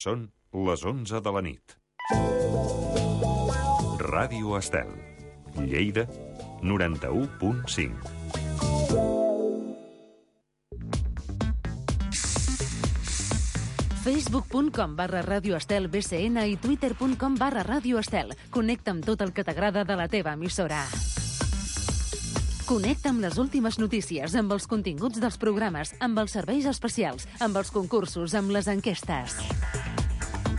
Són les 11 de la nit. Ràdio Estel, Lleida, 91.5. Facebook.com/Ràdio Estel BCN i Twitter.com/Ràdio Estel. Connecta amb tot el que t'agrada de la teva emissora. Connecta amb les últimes notícies, amb els continguts dels programes, amb els serveis especials, amb els concursos, amb les enquestes.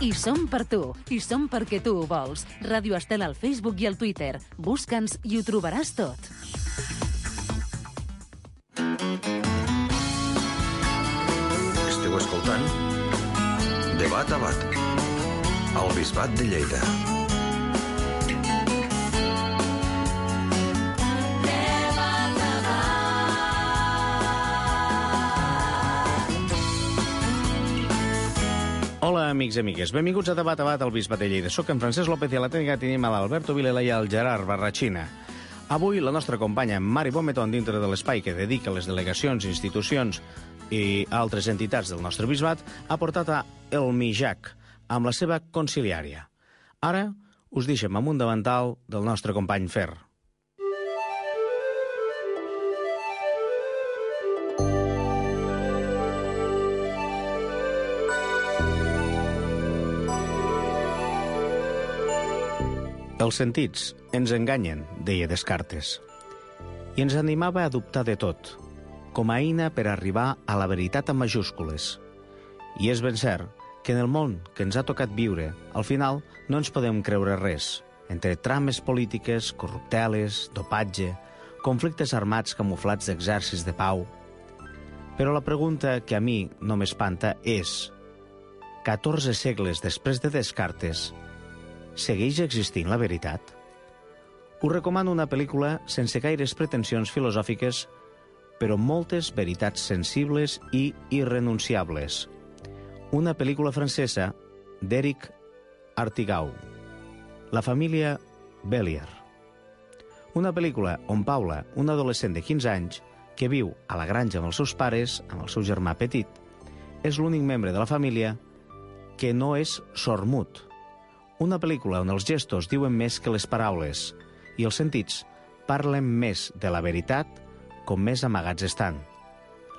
I som per tu, i som perquè tu ho vols. Ràdio Estel al Facebook i al Twitter. Busca'ns i ho trobaràs tot. Esteu escoltant Debat a Bat, al Bisbat de Lleida. Hola, amics i amigues. Benvinguts a Debat al Bisbat de Lleida. Soc en Francesc López i a la tècnica tenim a l'Alberto Vilela i al Gerard Barrachina. Avui la nostra companya Mari Bometón, dintre de l'espai que dedica a les delegacions, institucions i altres entitats del nostre bisbat, ha portat a El Mijac amb la seva conciliària. Ara us deixem amb un davantal del nostre company Fer. Els sentits ens enganyen, deia Descartes, i ens animava a dubtar de tot, com a eina per arribar a la veritat amb majúscules. I és ben cert que en el món que ens ha tocat viure, al final no ens podem creure res, entre trames polítiques, corrupteles, dopatge, conflictes armats camuflats d'exèrcits de pau. Però la pregunta que a mi no m'espanta és: 14 segles després de Descartes, segueix existint la veritat? Us recomano una pel·lícula sense gaires pretensions filosòfiques, però moltes veritats sensibles i irrenunciables. Una pel·lícula francesa d'Éric Artigau, La família Bélier. Una pel·lícula on Paula, una adolescent de 15 anys, que viu a la granja amb els seus pares, amb el seu germà petit, és l'únic membre de la família que no és sordmut. Una pel·lícula on els gestos diuen més que les paraules i els sentits parlen més de la veritat com més amagats estan.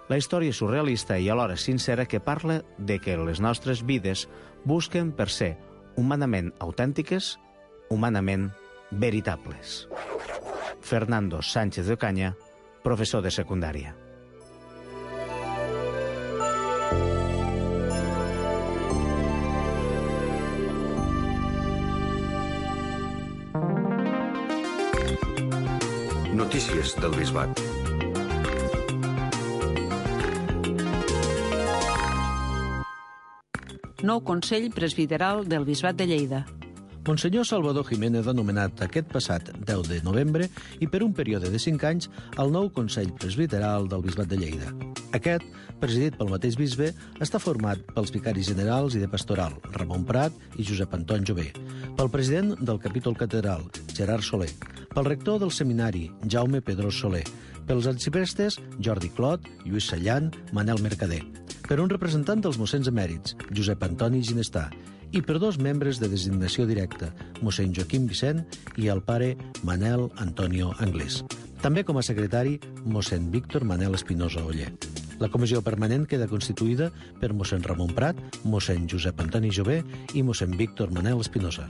La història és surrealista i alhora sincera que parla de que les nostres vides busquen per ser humanament autèntiques, humanament veritables. Fernando Sánchez de Ocaña, professor de secundària. Notícies del Bisbat. Nou Consell Presbiteral del Bisbat de Lleida. Monsenyor Salvador Jiménez ha nomenat aquest passat 10 de novembre i per un període de 5 anys el nou Consell Presbiteral del Bisbat de Lleida. Aquest, presidit pel mateix bisbe, està format pels vicaris generals i de pastoral, Ramon Prat i Josep Anton Jové, pel president del capítol catedral, Gerard Soler, pel rector del seminari, Jaume Pedrós Soler, pels arxiprestes, Jordi Clot, Lluís Sallant, Manel Mercader, per un representant dels mossens emèrits, Josep Antoni Ginestà, i per 2 membres de designació directa, mossèn Joaquim Vicent i el pare Manel Antonio Anglès. També com a secretari, mossèn Víctor Manel Espinosa Oller. La comissió permanent queda constituïda per mossèn Ramon Prat, mossèn Josep Antoni Jové i mossèn Víctor Manel Espinosa.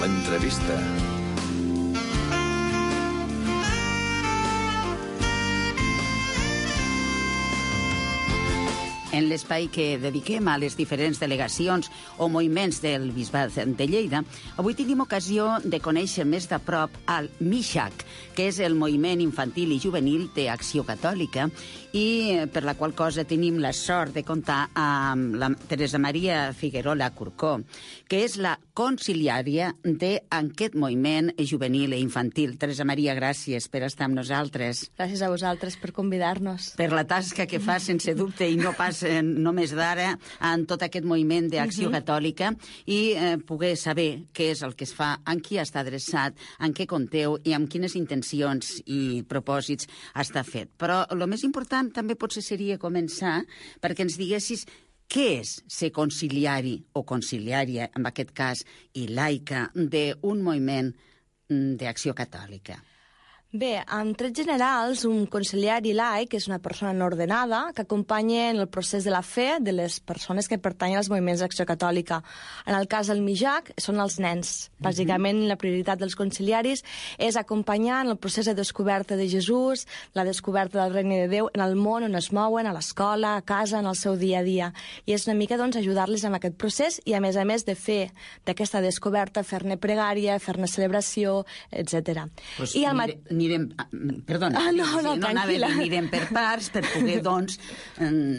L'entrevista. En l'espai que dediquem a les diferents delegacions o moviments del Bisbat de Lleida, avui tenim ocasió de conèixer més de prop el MIJAC, que és el Moviment Infantil i Juvenil d'Acció Catòlica, i per la qual cosa tenim la sort de comptar amb la Teresa Maria Figuerola Curcó, que és la conciliària d'aquest moviment juvenil i infantil. Teresa Maria, gràcies per estar amb nosaltres. Gràcies a vosaltres per convidar-nos. Per la tasca que fas, sense dubte, i no pas només d'ara en tot aquest moviment d'acció catòlica i poder saber què és el que es fa, en qui està adreçat, en què compteu i amb quines intencions i propòsits està fet. Però el més important també potser seria començar perquè ens diguessis què és ser conciliari o conciliària, en aquest cas, i laica d'un moviment d'acció catòlica. Bé, en trets generals, un conciliari laic és una persona no ordenada que acompanya en el procés de la fe de les persones que pertanyen als moviments d'acció catòlica. En el cas del MIJAC són els nens. Bàsicament, la prioritat dels conciliaris és acompanyar en el procés de descoberta de Jesús, la descoberta del regne de Déu en el món on es mouen, a l'escola, a casa, en el seu dia a dia. I és una mica doncs, ajudar-los en aquest procés i, a més de fer d'aquesta descoberta, fer-ne pregària, fer-ne celebració, etc. Pues anirem per parts per poder, doncs,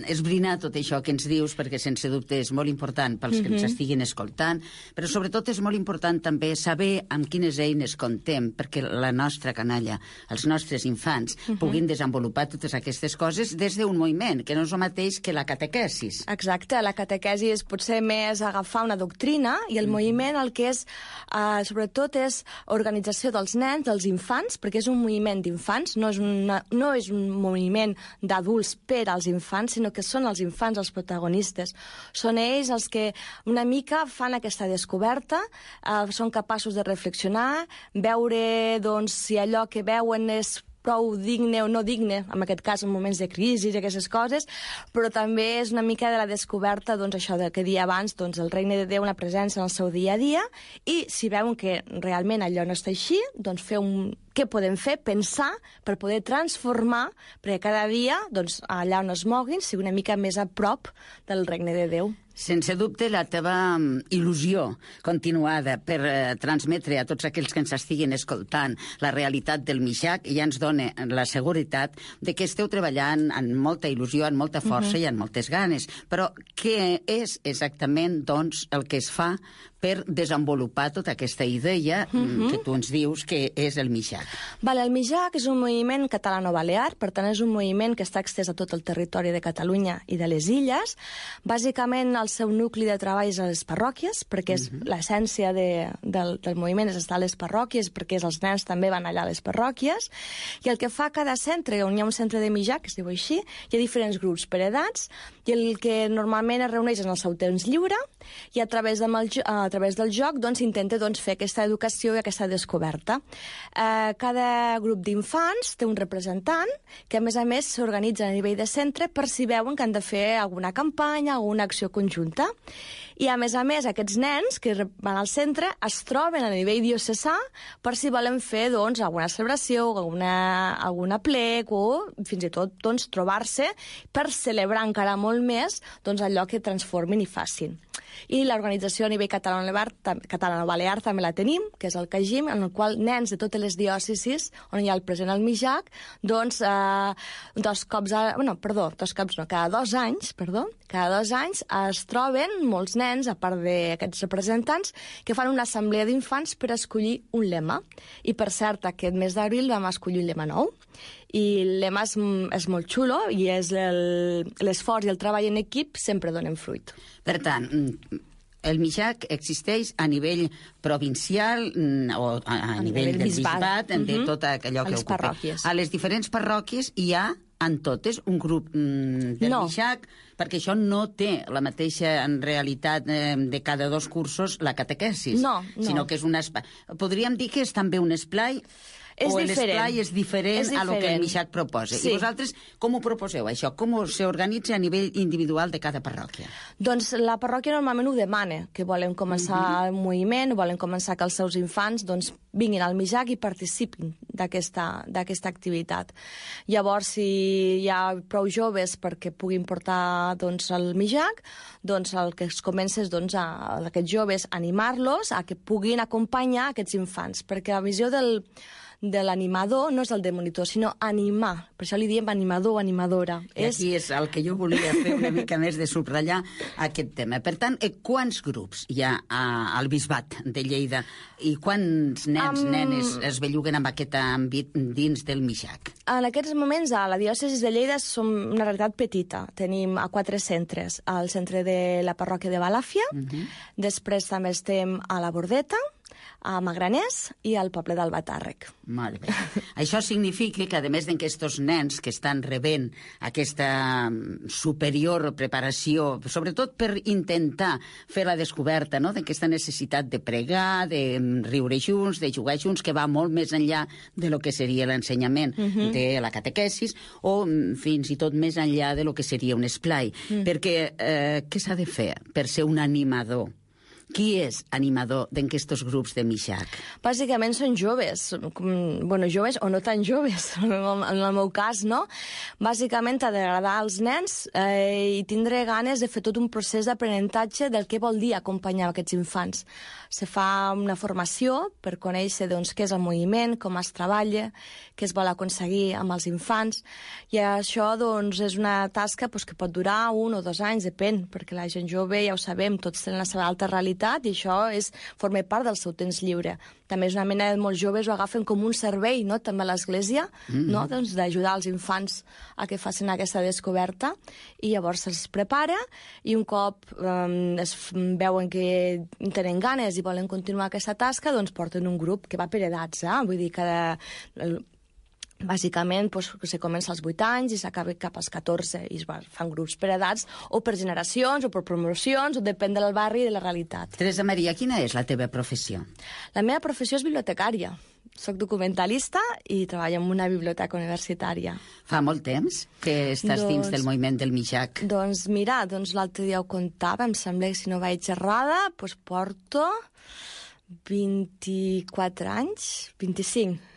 esbrinar tot això que ens dius, perquè sense dubte és molt important pels que ens estiguin escoltant, però sobretot és molt important també saber amb quines eines comptem perquè la nostra canalla, els nostres infants, puguin desenvolupar totes aquestes coses des d'un moviment, que no és el mateix que la catequesis. Exacte, la catequesi és potser més agafar una doctrina i el moviment el que és, sobretot, és organització dels nens, dels infants, perquè és un moviment d'infants, no és un moviment d'adults per als infants, sinó que són els infants els protagonistes. Són ells els que una mica fan aquesta descoberta, són capaços de reflexionar, veure doncs, si allò que veuen és prou digne o no digne, en aquest cas en moments de crisi i aquestes coses, però també és una mica de la descoberta, doncs això que dia abans, doncs el regne de Déu, una presència en el seu dia a dia, i si veuen que realment allò no està així, doncs què podem fer? Pensar per poder transformar, perquè cada dia, doncs, allà on es moguin, sigui una mica més a prop del regne de Déu. Sense dubte, la teva il·lusió continuada per transmetre a tots aquells que ens estiguin escoltant la realitat del MIJAC ja ens dona la seguretat de que esteu treballant amb molta il·lusió, amb molta força i amb moltes ganes. Però què és exactament, doncs, el que es fa per desenvolupar tota aquesta idea que tu ens dius que és el MIJAC? El MIJAC és un moviment catalano-balear, per tant és un moviment que està extès a tot el territori de Catalunya i de les illes. Bàsicament el seu nucli de treball és a les parròquies, perquè és l'essència del moviment és estar a les parròquies, perquè els nens també van allà a les parròquies, i el que fa cada centre, on hi ha un centre de MIJAC, que es diu així, hi ha diferents grups per edats, i el que normalment es reuneix en el seu temps lliure, i a través del joc doncs, intenta fer aquesta educació i aquesta descoberta. Cada grup d'infants té un representant que, a més, s'organitza a nivell de centre per si veuen que han de fer alguna campanya, alguna acció conjunta. I, a més, aquests nens que van al centre es troben a nivell diocesà per si volen fer doncs, alguna celebració, alguna plec o fins i tot doncs, trobar-se per celebrar encara molt més doncs, allò que transformin i facin. I l'organització a nivell catalano-balear també la tenim, que és el CAGIM, en el qual nens de totes les diòcesis on hi ha el present al MIJAC, doncs cada 2 anys es troben molts nens, a part d'aquests representants, que fan una assemblea d'infants per escollir un lema. I, per cert, aquest mes d'abril vam escollir un lema nou. I el lema és molt xulo i és l'esforç i el treball en equip sempre donen fruit. Per tant, el MIJAC existeix a nivell provincial o a nivell del bisbat, de tot allò que ocupa. A les diferents parròquies hi ha en totes un grup del MIJAC, perquè això no té la mateixa en realitat de cada 2 cursos la catequesis, sinó que és un espai. Podríem dir que és també un esplai o l'esplai és diferent a lo que el MIJAC proposa. I vosaltres com ho proposeu, això? Com s'organitza a nivell individual de cada parròquia? Doncs la parròquia normalment ho demana, que volen començar el moviment, volen començar que els seus infants vinguin al MIJAC i participin d'aquesta activitat. Llavors, si hi ha prou joves perquè puguin portar el MIJAC, doncs el que es comença és a aquests joves animar-los a que puguin acompanyar aquests infants, perquè la visió del de l'animador no és el de monitor, sinó animar. Per això li diem animador o animadora. I aquí és el que jo volia fer una mica més de subratllar aquest tema. Per tant, quants grups hi ha al Bisbat de Lleida i quants nens, nenes es belluguen amb aquest àmbit dins del Mixac? En aquests moments, a la diòcesi de Lleida som una realitat petita. Tenim a 4 centres. Al centre de la parròquia de Balàfia, després també estem a la Bordeta, a Magraners i al poble d'Albatàrrec. Molt bé. Això significa que, a més d'aquests nens que estan rebent aquesta superior preparació, sobretot per intentar fer la descoberta, no?, d'aquesta necessitat de pregar, de riure junts, de jugar junts, que va molt més enllà de lo que seria l'ensenyament de la catequesis o fins i tot més enllà de lo que seria un esplai. Perquè què s'ha de fer per ser un animador? Qui és animador d'aquests grups de Mixac? Bàsicament són joves, bueno, joves o no tan joves, en el meu cas, no? Bàsicament t'ha d'agradar als nens i tindre ganes de fer tot un procés d'aprenentatge del que vol dir acompanyar aquests infants. Se fa una formació per conèixer doncs, què és el moviment, com es treballa, què es vol aconseguir amb els infants, i això doncs, és una tasca doncs, que pot durar 1 o 2 anys, depèn, perquè la gent jove, ja ho sabem, tots tenen la seva alta realitat i això forma part del seu temps lliure. També és una mena de molts joves ho agafen com un servei, no?, també a l'església, no?, doncs, d'ajudar els infants a que facin aquesta descoberta, i llavors se'ls prepara i un cop es veuen que tenen ganes i volen continuar aquesta tasca, doncs porten un grup que va per edats, vull dir, bàsicament doncs, se comença als 8 anys i s'acaba cap als 14 i es fan grups per edats o per generacions o per promocions o depèn del barri i de la realitat. Teresa Maria, quina és la teva professió? La meva professió és bibliotecària. Soc documentalista i treballo en una biblioteca universitària. Fa molt temps que estàs dins del moviment del Mixac? Doncs mira, l'altre dia ho comptava, em sembla que si no vaig errada, doncs porto 24 anys, 25.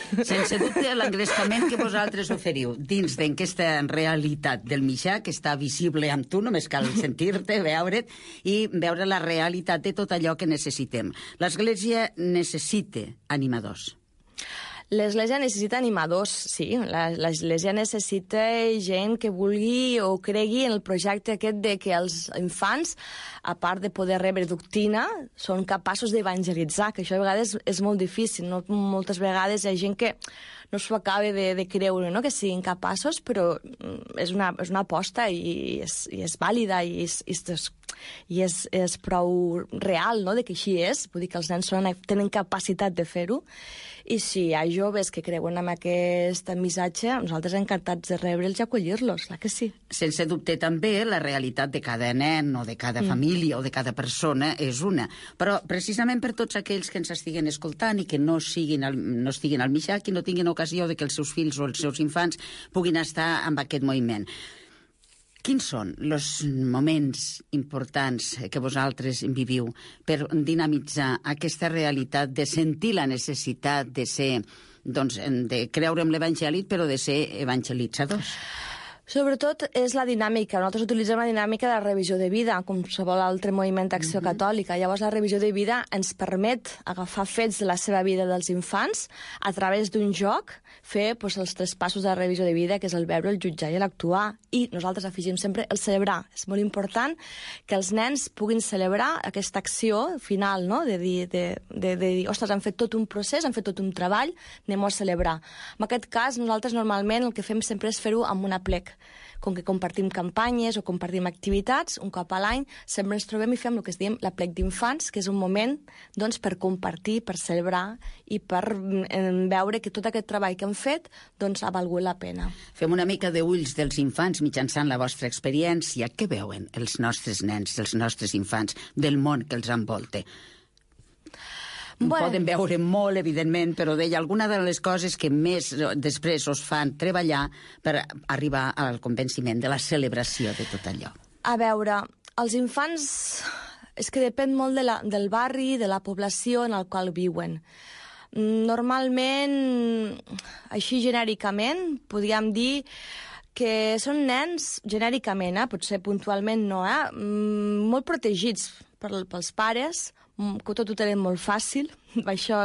Sense dubte, l'engrescament que vosaltres oferiu dins d'aquesta realitat del Mixac està visible amb tu, només cal sentir-te, veure't i veure la realitat de tot allò que necessitem. L'Església necessita animadors. L'Església necessita animadors, sí. L'Església necessita gent que vulgui o cregui en el projecte aquest de que els infants, a part de poder rebre doctrina, són capaços d'evangelitzar, que això a vegades és molt difícil. No? Moltes vegades hi ha gent que no s'ho acaba de creure, no?, que siguin capaços, però és una aposta i és vàlida i és prou real, no?, de que així és. Vull dir que els nens tenen capacitat de fer-ho. I si hi ha joves que creuen en aquest missatge, nosaltres encantats de rebre'ls i acollir-los, clar que sí. Sense dubte també la realitat de cada nen o de cada família o de cada persona és una. Però precisament per tots aquells que ens estiguen escoltant i que no estiguin al Mixac i no tinguin ocasió de que els seus fills o els seus infants puguin estar amb aquest moviment. Quins són els moments importants que vosaltres viviu per dinamitzar aquesta realitat de sentir la necessitat de ser, doncs, de creure en l'Evangeli, però de ser evangelitzadors? Sobretot és la dinàmica. Nosaltres utilitzem la dinàmica de la revisió de vida, com qualsevol altre moviment d'acció catòlica. Llavors la revisió de vida ens permet agafar fets de la seva vida dels infants a través d'un joc, fer els 3 passos de la revisió de vida, que és el veure, el jutjar i l'actuar. I nosaltres afegim sempre el celebrar. És molt important que els nens puguin celebrar aquesta acció final, no?, de dir, ostres, han fet tot un procés, han fet tot un treball, anem-ho a celebrar. En aquest cas, nosaltres normalment el que fem sempre és fer-ho amb una plec. Com que compartim campanyes o compartim activitats, un cop a l'any sempre ens trobem i fem el que es diem la plec d'infants, que és un moment doncs, per compartir, per celebrar i per veure que tot aquest treball que hem fet doncs, ha valgut la pena. Fem una mica d'ulls dels infants mitjançant la vostra experiència. Què veuen els nostres nens, els nostres infants, del món que els envolta? Poden veure molt, evidentment, però deia alguna de les coses que més després us fan treballar per arribar al convenciment de la celebració de tot allò. A veure, els infants és que depèn molt del barri, de la població en el qual viuen. Normalment, així genèricament, podríem dir que són nens, genèricament, potser puntualment no, molt protegits pels pares, que tot ho tenen molt fàcil. Això,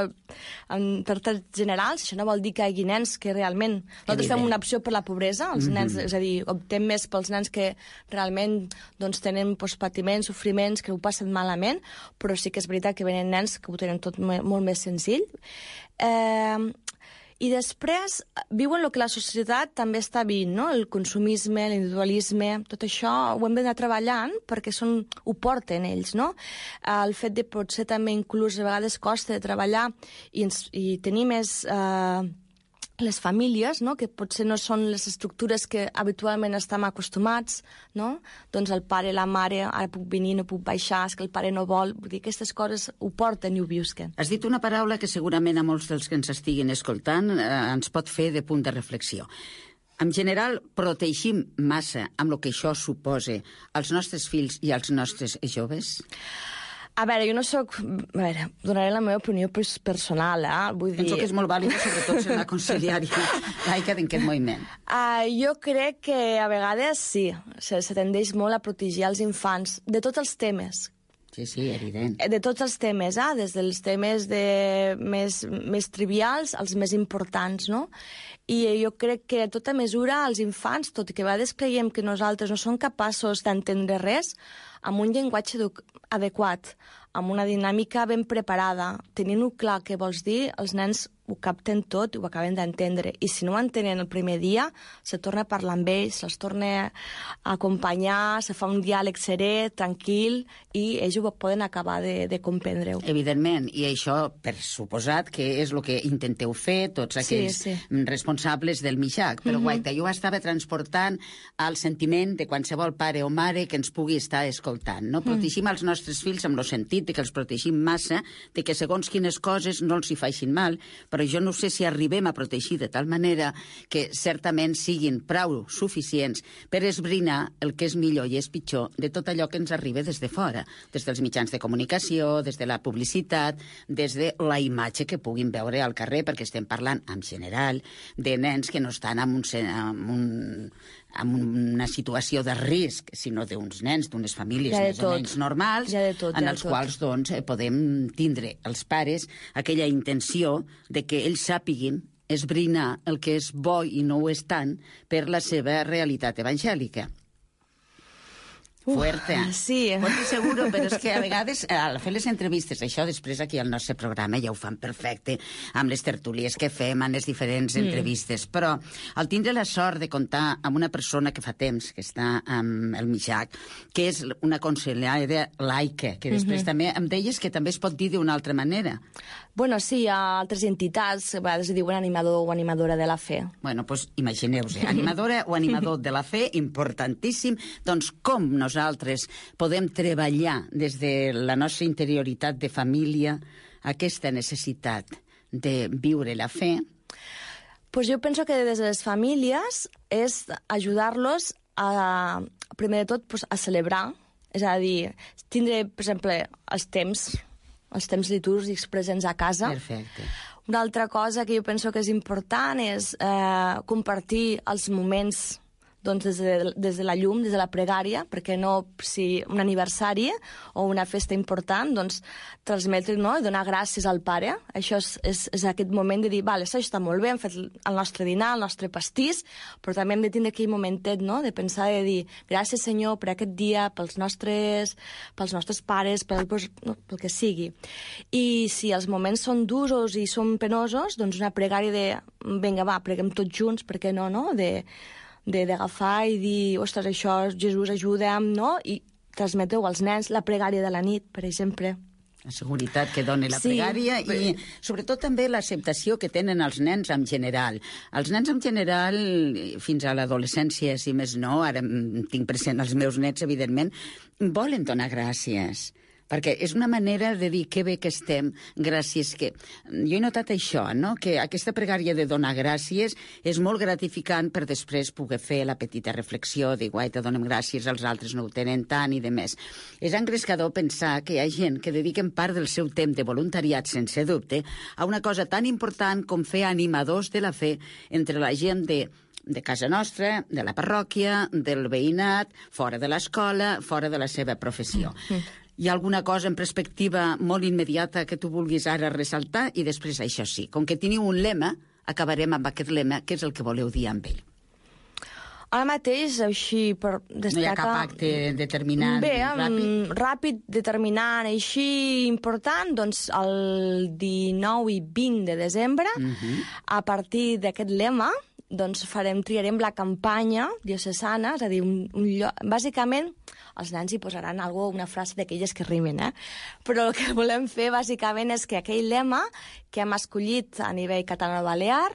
per termes generals, això no vol dir que hi hagi nens que realment... Nosaltres fem una opció per la pobresa, els nens, és a dir, optem més pels nens que realment doncs, tenen patiments, sofriments, que ho passen malament, però sí que és veritat que venen nens que ho tenen tot molt més senzill. I després viuen el que la societat també està vivint, no? El consumisme, l'individualisme, tot això ho hem d'anar treballant perquè ho porten ells, no? El fet de potser també inclús a vegades costa de treballar i tenir més... les famílies, no? Que potser no són les estructures que habitualment estem acostumats, no? Doncs el pare, la mare, ara puc venir, no puc baixar, és que el pare no vol... Vull dir, aquestes coses ho porten i ho visquen. Has dit una paraula que segurament a molts dels que ens estiguin escoltant ens pot fer de punt de reflexió. En general, protegim massa amb el que això suposa als nostres fills i als nostres joves? A veure, jo no soc... A veure, donaré la meva opinió personal, vull dir... Penso que és molt vàlida, sobretot en la conciliària laica d'aquest moviment. Jo crec que a vegades sí, se tendeix molt a protegir els infants de tots els temes. Sí, evident. De tots els temes, des dels temes més trivials als més importants, no? I jo crec que a tota mesura els infants, tot i que a vegades creiem que nosaltres no som capaços d'entendre res, amb un llenguatge adequat, amb una dinàmica ben preparada, tenint-ho clar què vols dir, els nens ho capten tot i ho acaben d'entendre. I si no ho entenen el primer dia, se torna a parlar amb ells, se'ls torna a acompanyar, se fa un diàleg serè, tranquil, i ells ho poden acabar de comprendre-ho. Evidentment, i això, per suposat, que és el que intenteu fer tots aquells responsables del MIXAC. Però, guaita, jo estava transportant al sentiment de qualsevol pare o mare que ens pugui estar escoltant, no? Protegim els nostres fills amb el sentit de que els protegim massa, de que segons quines coses no els hi faixin mal, però jo no sé si arribem a protegir de tal manera que certament siguin prou suficients per esbrinar el que és millor i és pitjor de tot allò que ens arriba des de fora, des dels mitjans de comunicació, des de la publicitat, des de la imatge que puguin veure al carrer, perquè estem parlant, en general, de nens que no estan en una situació de risc, sinó d'uns nens, d'unes famílies més o menys normals, en els quals doncs, podem tindre els pares aquella intenció de que ells sàpiguin esbrinar el que és bo i no ho és tant per la seva realitat evangèlica. Fuerte. Sí. Fuerte seguro, però és que a vegades al fer les entrevistes, això després aquí al nostre programa ja ho fan perfecte, amb les tertúlies que fem, en les diferents entrevistes, però al tindre la sort de comptar amb una persona que fa temps que està amb el MIXAC, que és una consellera laica, que després també em deies que també es pot dir d'una altra manera. Bueno, sí, hi ha altres entitats, a vegades diuen animador o animadora de la fe. Bueno, doncs imagineu-vos, animadora o animador de la fe, importantíssim. Doncs com nosaltres podem treballar des de la nostra interioritat de família aquesta necessitat de viure la fe? Pues jo penso que des de les famílies és ajudar-los a, primer de tot, pues, a celebrar, és a dir, tindre, per exemple, els temps litúrgics presents a casa. Perfecte. Una altra cosa que jo penso que és important és compartir els moments doncs, des de la llum, des de la pregària, perquè no, si un aniversari o una festa important, doncs transmetre, no?, i donar gràcies al pare. Això és aquest moment de dir, vale, això està molt bé, hem fet el nostre dinar, el nostre pastís, però també hem de tindre aquell momentet, no?, de pensar, de dir, gràcies, Senyor, per aquest dia, pels nostres pares, pel que sigui. I si els moments són durs i són penosos, doncs una pregària de, vinga, va, preguem tots junts, per què no, d'agafar i dir, ostres, això, Jesús, ajuda'm, no? I transmeteu als nens la pregària de la nit, per exemple. La seguretat que dona la pregària i sobretot també l'acceptació que tenen els nens en general. Els nens en general, fins a l'adolescència, si més no, ara tinc present els meus nets, evidentment, volen donar gràcies. Perquè és una manera de dir que bé que estem, gràcies que... Jo he notat això, no?, que aquesta pregària de donar gràcies és molt gratificant per després poder fer la petita reflexió de guaita, donem gràcies, els altres no ho tenen tant i de més. És engrescador pensar que hi ha gent que dediquen part del seu temps de voluntariat, sense dubte, a una cosa tan important com fer animadors de la fe entre la gent de casa nostra, de la parròquia, del veïnat, fora de l'escola, fora de la seva professió. Hi ha alguna cosa en perspectiva molt immediata que tu vulguis ara ressaltar? I després, això sí, com que teniu un lema, acabarem amb aquest lema, que és el que voleu dir amb ell. Ara mateix, així, per destacar... No hi ha cap acte determinant, ràpid? Ràpid, determinant, així important, doncs el 19 i 20 de desembre, a partir d'aquest lema, doncs triarem la campanya diocesana, és a dir, un lloc... Bàsicament, els nens hi posaran una frase d'aquelles que rimen, però el que volem fer, bàsicament, és que aquell lema que hem escollit a nivell català-balear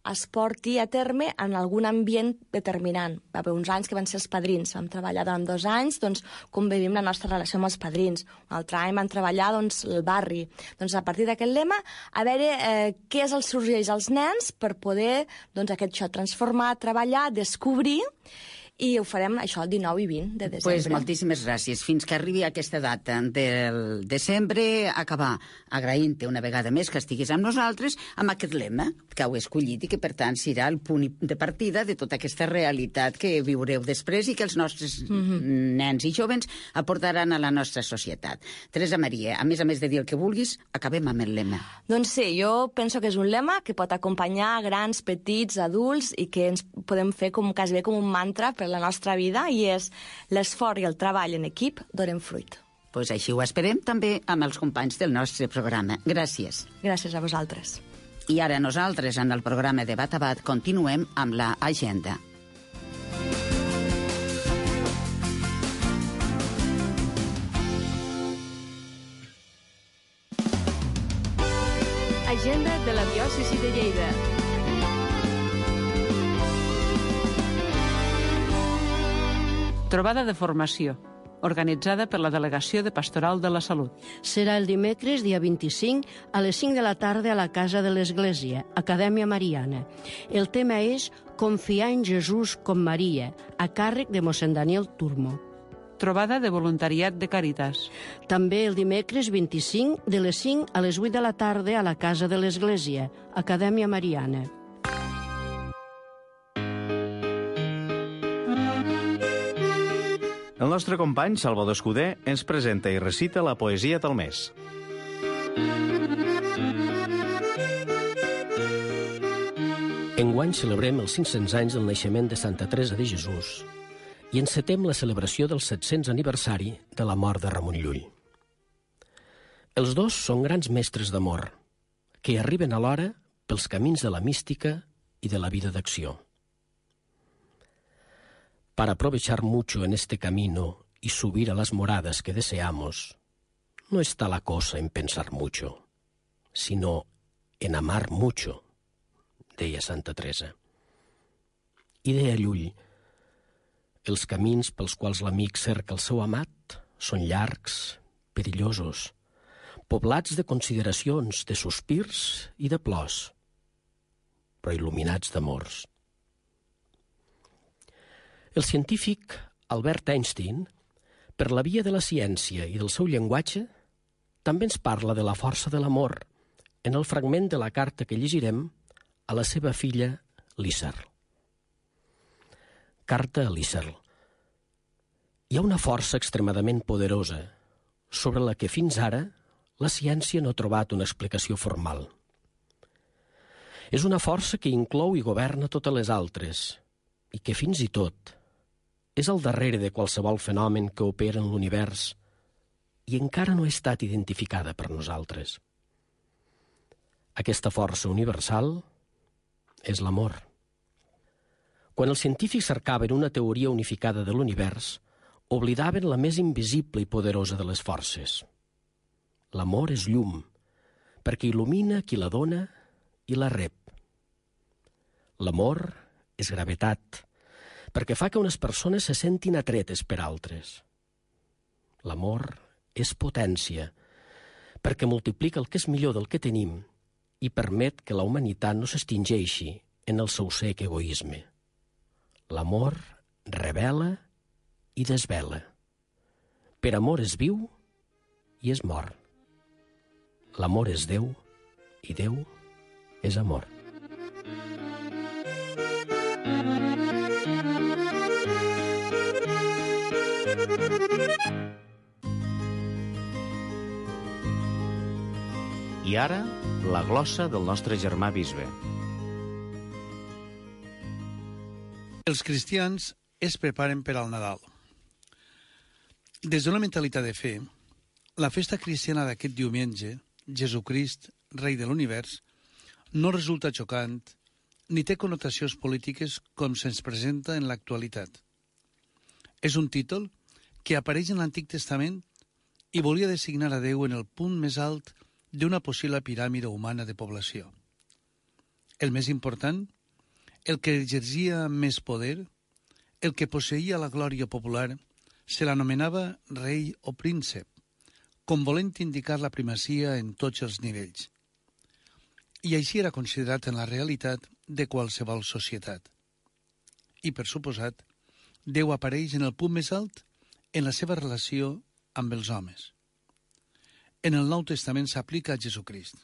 es porti a terme en algun ambient determinant. Va haver uns anys que van ser els padrins. Vam treballar durant 2 anys, doncs, com vivim la nostra relació amb els padrins. Un altre any vam treballar, doncs, el barri. Doncs, a partir d'aquest lema, a veure què és el sorgeix als nens per poder, doncs, transformar, treballar, descobrir, i ho farem, això, el 19 i 20 de desembre. Pues moltíssimes gràcies. Fins que arribi aquesta data del desembre, acabar agraint-te una vegada més que estiguis amb nosaltres amb aquest lema que heu escollit i que, per tant, serà el punt de partida de tota aquesta realitat que viureu després i que els nostres nens i jovens aportaran a la nostra societat. Teresa Maria, a més de dir el que vulguis, acabem amb el lema. Doncs sí, jo penso que és un lema que pot acompanyar grans, petits, adults i que ens podem fer quasi com un mantra per la nostra vida, i és l'esforç i el treball en equip donen fruit. Pues així ho esperem també amb els companys del nostre programa. Gràcies. Gràcies a vosaltres. I ara nosaltres, en el programa de Bat a Bat, continuem amb la agenda. Agenda de la diòcesi de Lleida. Trobada de formació, organitzada per la Delegació de Pastoral de la Salut. Serà el dimecres, dia 25, a les 5 de la tarda a la Casa de l'Església, Acadèmia Mariana. El tema és Confiar en Jesús com Maria, a càrrec de mossèn Daniel Turmo. Trobada de voluntariat de Càritas. També el dimecres 25, de les 5 a les 8 de la tarda a la Casa de l'Església, Acadèmia Mariana. El nostre company, Salvador Escudé, ens presenta i recita la poesia del mes. Enguany celebrem els 500 anys del naixement de Santa Teresa de Jesús i encetem la celebració del 700 aniversari de la mort de Ramon Llull. Els dos són grans mestres d'amor, que arriben alhora pels camins de la mística y de la vida de acció. Para aprovechar mucho en este camino y subir a las moradas que deseamos, no está la cosa en pensar mucho, sino en amar mucho, deia Santa Teresa. I deia Llull, els camins pels quals l'amic cerca el seu amat són llargs, perillosos, poblats de consideracions, de sospirs i de plors, però il·luminats d'amors. El científic Albert Einstein, per la via de la ciència i del seu llenguatge, també ens parla de la força de l'amor en el fragment de la carta que llegirem a la seva filla Lícer. Carta a Lícer. Hi ha una força extremadament poderosa sobre la que fins ara la ciència no ha trobat una explicació formal. És una força que inclou i governa totes les altres i que fins i tot és al darrere de qualsevol fenomen que opera en l'univers i encara no ha estat identificada per nosaltres. Aquesta força universal és l'amor. Quan els científics cercaven una teoria unificada de l'univers, oblidaven la més invisible i poderosa de les forces. L'amor és llum, perquè il·lumina qui la dona i la rep. L'amor és gravetat, perquè fa que unes persones se sentin atretes per altres. L'amor és potència, perquè multiplica el que és millor del que tenim i permet que la humanitat no s'extingeixi en el seu sec egoisme. L'amor revela i desvela. Per amor és viu i és mort. L'amor és Déu i Déu és amor. ara, la glossa del nostre germà bisbe. Els cristians es preparen per al Nadal. Des d'una mentalitat de fe, la festa cristiana d'aquest diumenge, Jesucrist, rei de l'univers, no resulta xocant ni té connotacions polítiques com se'ns presenta en l'actualitat. És un títol que apareix en l'Antic Testament i volia designar a Déu en el punt més alt d'una possible piràmide humana de població. El més important, el que exercia més poder, el que posseïa la glòria popular, se l'anomenava rei o príncep, com volent indicar la primacia en tots els nivells. I així era considerat en la realitat de qualsevol societat. I, per suposat, Déu apareix en el punt més alt en la seva relació amb els homes. En el Nou Testament s'aplica a Jesucrist.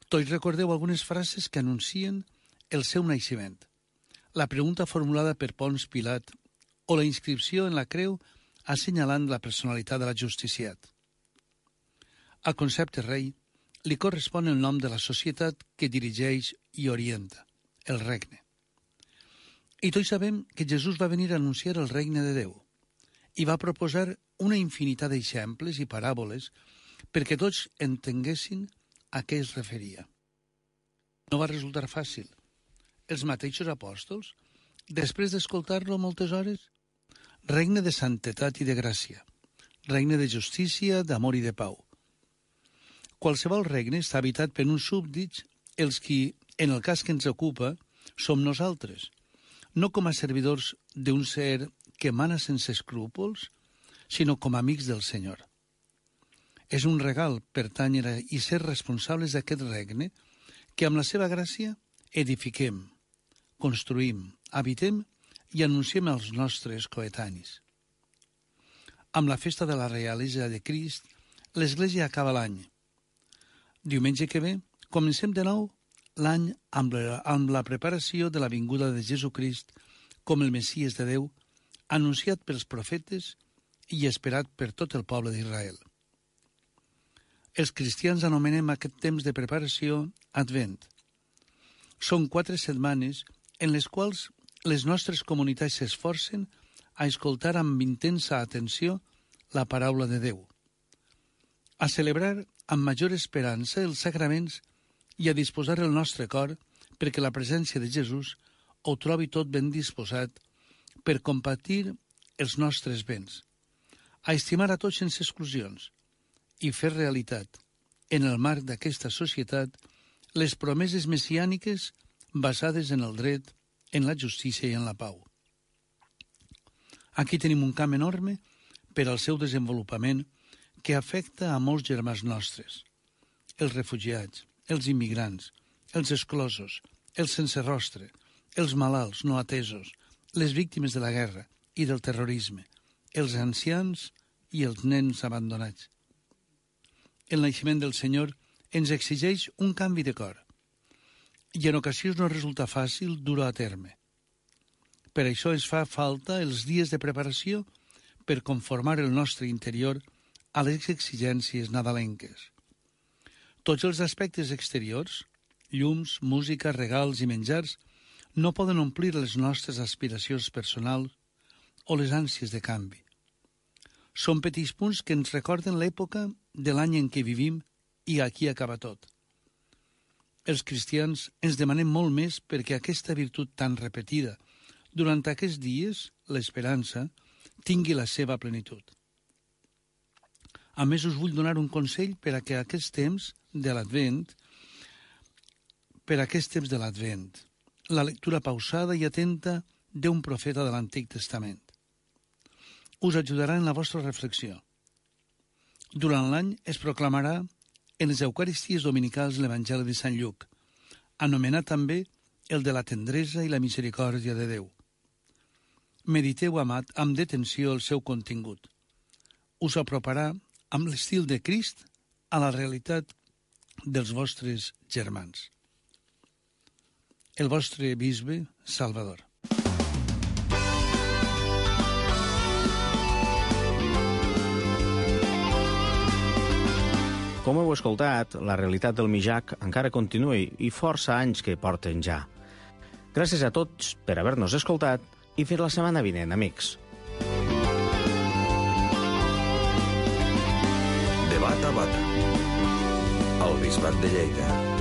Tots recordeu algunes frases que anuncien el seu naixement, la pregunta formulada per Pons Pilat o la inscripció en la creu assenyalant la personalitat de l'ajusticiat. Al concepte rei li correspon el nom de la societat que dirigeix i orienta, el regne. I tots sabem que Jesús va venir a anunciar el regne de Déu i va proposar una infinitat d'exemples i paràboles perquè tots entenguessin a què es referia. No va resultar fàcil. Els mateixos apòstols, després d'escoltar-lo moltes hores, regne de santetat i de gràcia, regne de justícia, d'amor i de pau. Qualsevol regne està habitat per uns súbdits, els qui, en el cas que ens ocupa, som nosaltres, no com a servidors d'un ser que mana sense escrúpols, sinó com a amics del Senyor. És un regal pertànyer i ser responsables d'aquest regne que amb la seva gràcia edifiquem, construïm, habitem i anunciem als nostres coetanis. Amb la festa de la Realesa de Crist, l'Església acaba l'any. Diumenge que ve, comencem de nou l'any amb la preparació de la vinguda de Jesucrist com el Messies de Déu, anunciat pels profetes i esperat per tot el poble d'Israel. Els cristians anomenem aquest temps de preparació Advent. Són 4 setmanes en les quals les nostres comunitats s'esforcen a escoltar amb intensa atenció la paraula de Déu, a celebrar amb major esperança els sagraments i a disposar el nostre cor perquè la presència de Jesús ho trobi tot ben disposat per compartir els nostres béns, a estimar a tots sense exclusions i fer realitat, en el marc d'aquesta societat, les promeses messiàniques basades en el dret, en la justícia i en la pau. Aquí tenim un camp enorme per al seu desenvolupament que afecta a molts germans nostres, els refugiats, els immigrants, els exclosos, els sense rostre, els malalts no atesos, les víctimes de la guerra i del terrorisme, els ancians i els nens abandonats. El naixement del Senyor ens exigeix un canvi de cor i en ocasions no resulta fàcil dur-ho a terme. Per això ens fa falta els dies de preparació per conformar el nostre interior a les exigències nadalenques. Tots els aspectes exteriors, llums, música, regals i menjars, no poden omplir les nostres aspiracions personals o les ànsies de canvi. Són petits punts que ens recorden l'època de l'any en què vivim i aquí acaba tot. Els cristians ens demanem molt més perquè aquesta virtut tan repetida durant aquests dies, l'esperança, tingui la seva plenitud. A més, us vull donar un consell per a que aquest temps de l'Advent, la lectura pausada i atenta d'un profeta de l'Antic Testament. Us ajudarà en la vostra reflexió. Durant l'any es proclamarà en les Eucaristies dominicals l'Evangeli de Sant Lluc, anomenat també el de la tendresa i la misericòrdia de Déu. Mediteu amb detenció el seu contingut. Us aproparà amb l'estil de Crist a la realitat dels vostres germans. El vostre bisbe Salvador. Com heu escoltat, la realitat del Mijac encara continua i força anys que porten ja. Gràcies a tots per haver-nos escoltat i fins la setmana vinent, amics. Debat a Bat, al Bisbat de Lleida.